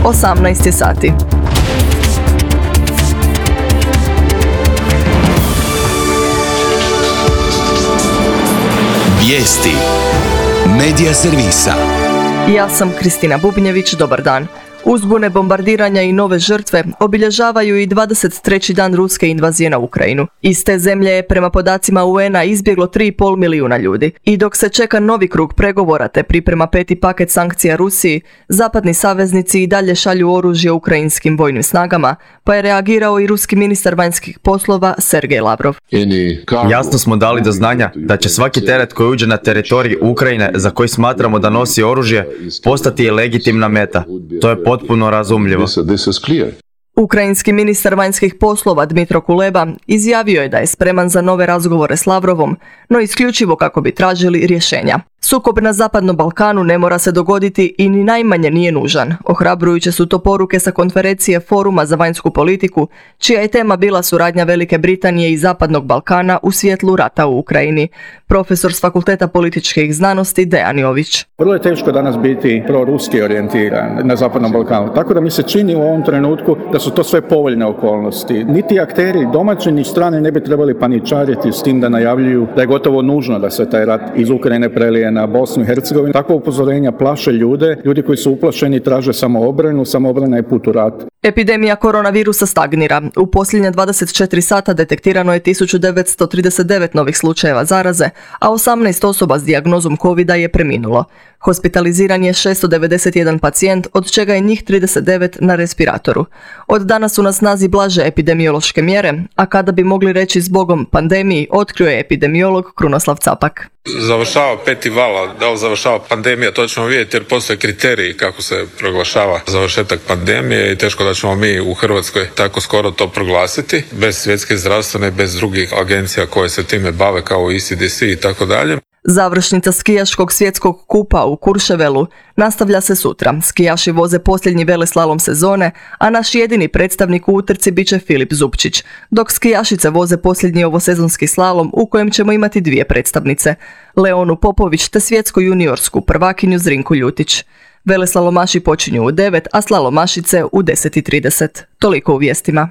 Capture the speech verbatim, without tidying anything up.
osamnaest je sati. Vijesti Medija servisa. Ja sam Kristina Bubnjević, dobar dan. Uzbune, bombardiranja i nove žrtve obilježavaju i dvadeset treći dan ruske invazije na Ukrajinu. Iz te zemlje je prema podacima U N-a izbjeglo tri i pol milijuna ljudi. I dok se čeka novi krug pregovora te priprema peti paket sankcija Rusiji, zapadni saveznici i dalje šalju oružje ukrajinskim vojnim snagama, pa je reagirao i ruski ministar vanjskih poslova Sergej Lavrov. Jasno smo dali do znanja da će svaki teret koji uđe na teritorij Ukrajine za koji smatramo da nosi oružje postati legitimna meta. To je potpuno razumljivo. Ukrajinski ministar vanjskih poslova Dmitro Kuleba izjavio je da je spreman za nove razgovore s Lavrovom, no isključivo kako bi tražili rješenja. Sukob na Zapadnom Balkanu ne mora se dogoditi i ni najmanje nije nužan. Ohrabrujuće su to poruke sa konferencije Foruma za vanjsku politiku, čija je tema bila suradnja Velike Britanije i Zapadnog Balkana u svjetlu rata u Ukrajini. Profesor s Fakulteta političkih znanosti Dejan Jović. Vrlo je teško danas biti proruski orijentiran na Zapadnom Balkanu, tako da mi se čini u ovom trenutku da su to sve povoljne okolnosti. Niti akteri domaći ni strane ne bi trebali paničariti s tim da najavljuju da je gotovo nužno da se taj rat iz Ukrajine prelije na Bosnu i Hercegovinu. Takva upozorenja plaše ljude, ljudi koji su uplašeni traže samoobranu, samoobrana je put u rat. Epidemija koronavirusa stagnira. U posljednje dvadeset četiri sata detektirano je tisuću devetsto trideset devet novih slučajeva zaraze, a osamnaest osoba s dijagnozom covida je preminulo. Hospitaliziran je šesto devedeset jedan pacijent, od čega je njih trideset devet na respiratoru. Od danas su na snazi blaže epidemiološke mjere, a kada bi mogli reći zbogom pandemiji, otkrio je epidemiolog Krunoslav Capak. Završava peti val, da li završava pandemija, to ćemo vidjeti jer postoje kriteriji kako se proglašava završetak pandemije i teško da ćemo mi u Hrvatskoj tako skoro to proglasiti, bez svjetske zdravstvene, bez drugih agencija koje se time bave kao E C D C i tako dalje. Završnica skijaškog svjetskog kupa u Kurševelu nastavlja se sutra. Skijaši voze posljednji veleslalom sezone, a naš jedini predstavnik u utrci bit će Filip Zupčić, dok skijašice voze posljednji ovosezonski slalom u kojem ćemo imati dvije predstavnice, Leonu Popović te svjetsku juniorsku prvakinju Zrinku Ljutić. Veleslalomaši počinju u devet, a slalomašice u deset i trideset. Toliko u vijestima.